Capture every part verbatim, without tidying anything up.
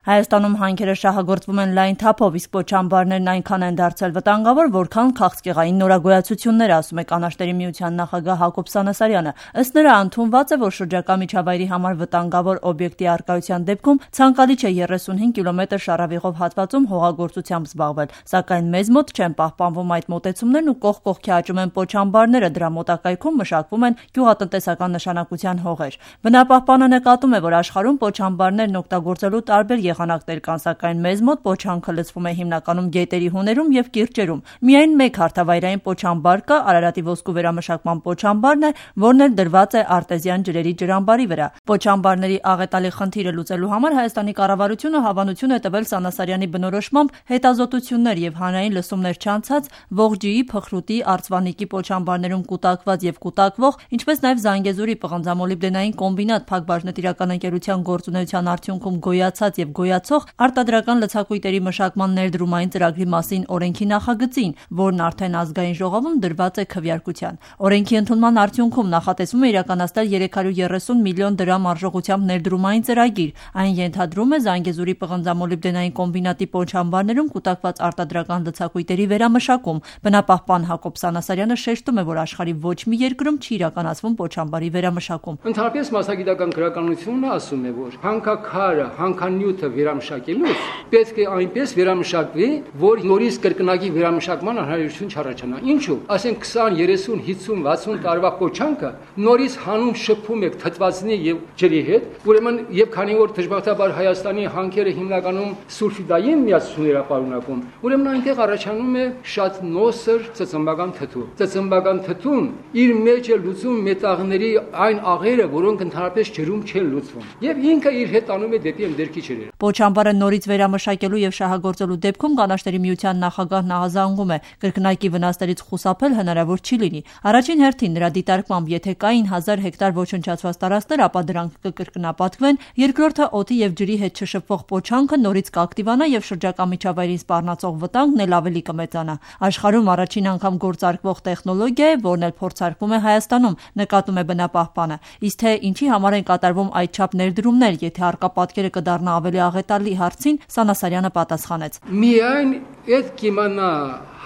Հայաստանում հանքերը շահագործվում են լայն թափով, իսկ պոչամբարներն այնքան են դարձել վտանգավոր, որքան քաղցկեղային նորագոյացություններ, ասում է Կանաչների միության նախագահ Հակոբ Սանասարյանը։ Ըստ նրա, ընդունված է, որ շրջակա միջավայրի համար վտանգավոր օբյեկտի առկայության դեպքում ցանկալի չէ երեսունհինգ կիլոմետր շարավիղով հատվածում հողագործությամբ զբաղվել, սակայն մեզ մոտ չեն պահպանվում այդ մոտեցումներն ու կողք կողքի աճում են պոչամբարները, դրա մոտակայքում մշակվում են գյուղատնտեսական նշանակության հողեր։ Բնապահպանը նկատում է, որ աշխարհում պոչամբարներն օգտագործելու տարբեր եղանակներ կան, սակայն մեզ մոտ պոչանքը լցվում է հիմնականում գետերի հուներում եւ կիրճերում։ Միայն մեկ հարթավայրային պոչամբար կա, Արարատի ոսկու վերամշակման պոչամբարն է, որն էլ դրված է արտեզյան ջրերի ջրամբարի վրա։ Պոչամբարների աղետալի խնդիրը լուծելու համար Հայաստանի կառավարությունը հավանություն է տվել Սանասարյանի բնորոշմամբ հետազոտություններ եւ հանրային լսումներ չանցած Ողջիի, Փխրուտի, Արծվանիկի պոչամբարներում կուտակված եւ կուտակվող, ինչպես նաեւ Զանգեզուրի պղնձամոլիբդենային կոմբինատ Փակ բաժնետիրական ընկերության գործունեության արդյունքում գոյացած եւ գոյացող արտադրական լցակույտերի մշակման ներդրումային ծրագրի մասին օրենքի նախագծին, որն արդեն ազգային ժողովում դրված է քվեարկության։ Օրենքի ընդունման արդյունքում նախատեսվում է իրականացնել երեք հարյուր երեսուն միլիոն դրամ արժողությամբ ներդրումային ծրագիր։ Այն ենթադրում է Զանգեզուրի պղնձամոլիբդենային կոմբինատի պոչամբարներում կուտակված արտադրական լցակույտերի վերամշակում։ Բնապահպան Հակոբ Սանասարյանը շեշտում է, որ աշխարհի ոչ մի երկրում չի իրականացվում պոչամբարի վերամշակում։ Ընդհանրապես մասնագիտական գրականությունը ասում է, որ հանքաքարը, հանքանյութը վերամշակելուց պետք է այնպես վերամշակվի, որ նորից կրկնակի վերամշակման անհրաժեշտություն չառաջանա։ Ինչու՞։ Ասենք քսան, երեսուն, հիսուն, վաթսուն տարվա պոչանքը նորից հանում շփում եք թթվածնի եւ ջրի հետ, ուրեմն եւ քանի որ դժբախտաբար Հայաստանի հանքերը հիմնականում սուլֆիդային միացություններ ապարունակում, ուրեմն այնտեղ առաջանում է շատ նոսր ծծմբական թթու։ Ծծմբական թթուն իր մեջ է լուծում մետաղների այն աղերը, որոնք ընդհանրապես ջրում չեն լուծվում, եւ ինքը իր հետ անում է դեպի ընդերքի ջրերը։ Պոչամբարը նորից վերամշակելու եւ շահագործելու դեպքում Կանաչների միության նախագահն ահազանգում է, կրկնակի վնասներից խուսափել հնարավոր չի լինի։ Առաջին հերթին նրա դիտարկմամբ, եթե կային հազար հեկտար ոչնչացված տարածքներ, ապա դրանք կկրկնապատկվեն, երկրորդը օդի եւ ջրի հետ չշփվող պոչանքը նորից կակտիվանա եւ շրջակա միջավայրին սպառնացող վտանգն էլ ավելի կմեծանա։ Աշխարհում առաջին անգամ գործարկվող տեխնոլոգիա է, որն էլ փորձարկվում է Հայաստանում, նկատում է բնապահպանը։ Իսկ թե ինչի համար են կատարվում այդչափ ներդրումներ, եթե առկա պատկերը կդառնա ավելի աղետալի հարցին, Սանասարյանը պատասխանեց. Միայն այդ կիմանա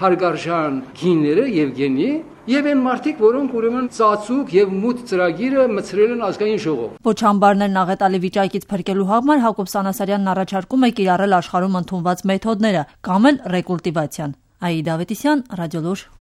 հարգարժան գինները եւ գենի Եվ այն մարդիկ, որոնք ուրեմն ծածուկ եւ մութ ծրագիրը մցրել են ազգային ժողով։ Պոչամբարներն աղետալի վիճակից փրկելու համար Հակոբ Սանասարյանն առաջարկում է կիրառել աշխարհում ընդունված մեթոդները կամ էլ ռեկուլտիվացիան։ Աիդա Ավետիսյան, Ռադիոլուր։